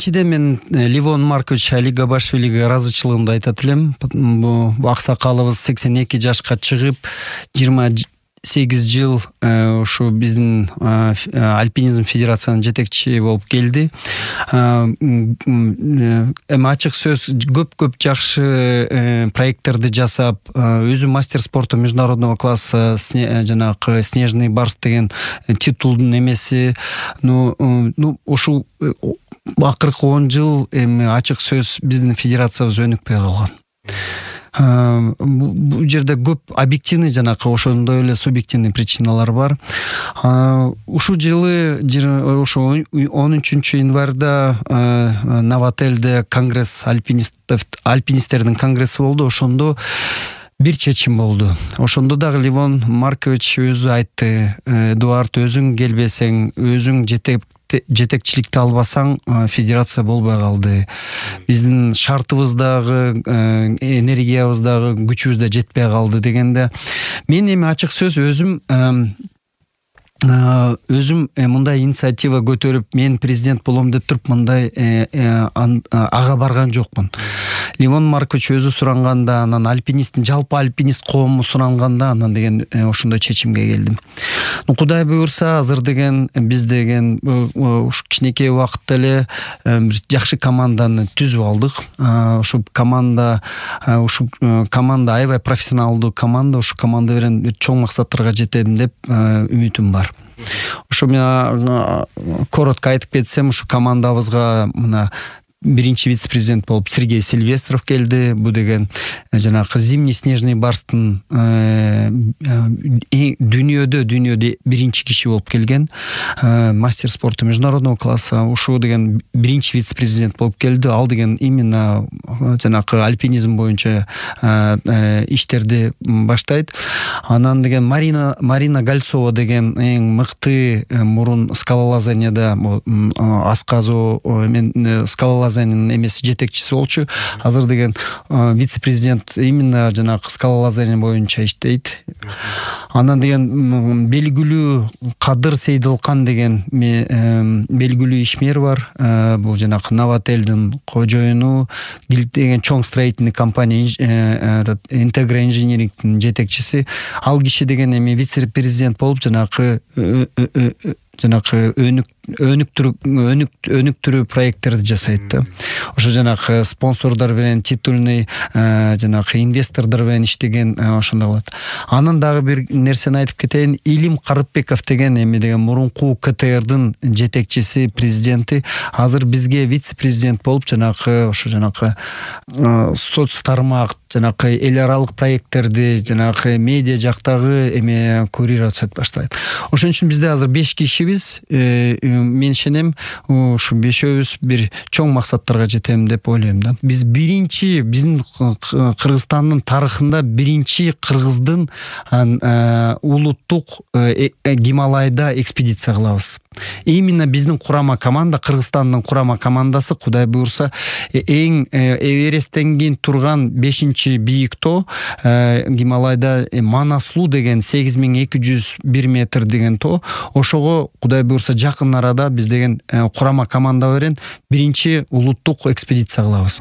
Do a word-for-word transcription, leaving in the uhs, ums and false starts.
биринчиден мен Левон Маркович Алигабашвилиге ыраазычылыгымды айтат элем. Бул аксакалыбыз сексен эки жашка чыгып, жыйырма сегиз жыл ушу биздин альпинизм федерациянын жетекчиси болуп келди. Эми ачык сөз көп-көп жакшы проекттерди жасап, өзү мастер спорта международного класса жанагы снежный барс деген титулдун эмеси. Ну, ну ушу акыркы он жыл эми ачык сөз биздин федерациябыз өнүкпөй калган. Бул жерде көп объективный жанакы ошондой эле субъективный причиналар бар. Ушул жылы ошо он үчүнчү январда Новотелде конгресс альпинистов альпинисттердин конгресси болду. Ошондо бир чечим болду. Ошондо дагы Левон Маркович өзү айтты: Эдуард, өзүң келбесең, өзүң жетеп жетекчиликти албасаң, федерация болбой калды. Биздин шартыбыздагы, энергиябыздагы, күчүбүз да жетпей калды дегенде, мен эми ачык сөз өзүм өзүм мындай инициатива көтөрүп, мен президент болом деп туруп мындай ага барган жокмун. Левон Маркович өзү суранганда, анан альпинисттин, жалпы альпинист коому суранганда, анан деген ошондой чечимге келдим. Ну, Кудай буйрса, азыр деген биз деген ушу кичинекей убакытта эле бир жакшы команданы түзүп алдык. Ушу команда, ушу команда аябай профессионалдуу команда, ушу команда менен чоң максаттарга жетем деп үмүтүм бар. Ушу мен коротко айтып кетсем, ушу командабызга мына биринчи вице-президент болуп Сергей Сильвестров келди. Бу деген жанагы зимний снежный барстын дүйнөдө дүйнөдө биринчи киши болуп келген, мастер спорта международного класса. Ушул деген биринчи вице-президент болуп келди. Ал деген именно жанагы альпинизм боюнча иштерди баштайт. Анан деген Марина Марина Гольцова деген эң мыкты мурун скалолазанияда асказуу мен скалолазания эмеси жетекчиси болчу. Азыр деген вице-президент именно жанагы скалолазания боюнча иштейт. Анан деген белгилүү Кадыр Сейдилкан деген белгилүү ишмер бар. Бул жанагы Новотелдин кожоюну, деген чоң строительный компания Интегра инжинирингдин жетекчиси. Ал киши деген эми вице-президент болуп жанагы жанагы өнүк өнүктүрүү өнүктүрүү проекттерди жасайт да. Ошо жанагы спонсордор менен, титульный жанагы инвестордор менен иштеген, ошондой кылат. Анан дагы бир нерсени айтып кетейин. Илим Карыпбеков деген эми деген мурунку КТРдын жетекчиси, президенти, азыр бизге вице-президент болуп жанагы ошо жанагы соц тармак, жанагы эл аралык проекттерди, жанагы медиа жактагы эме курировать баштайт. Ошон үчүн бизде азыр беш кишибиз. Мен ишенем, ушу бешөөбүз бир чоң максаттарга жетем деп ойлойм да. Биз биринчи, биздин Кыргызстандын тарыхында биринчи кыргыздын улуттук Гималайда экспедиция кылабыз. Именно биздин курама команда, Кыргызстандын курама командасы, Кудай буйрса, эң Эвересттен кийин турган бешинчи бийик тоо Гималайда Манаслуу деген сегиз миң эки жүз бир метр деген тоо. Ошого Кудай буйрса жакын арада биз деген курама команда менен биринчи улуттук экспедиция кылабыз.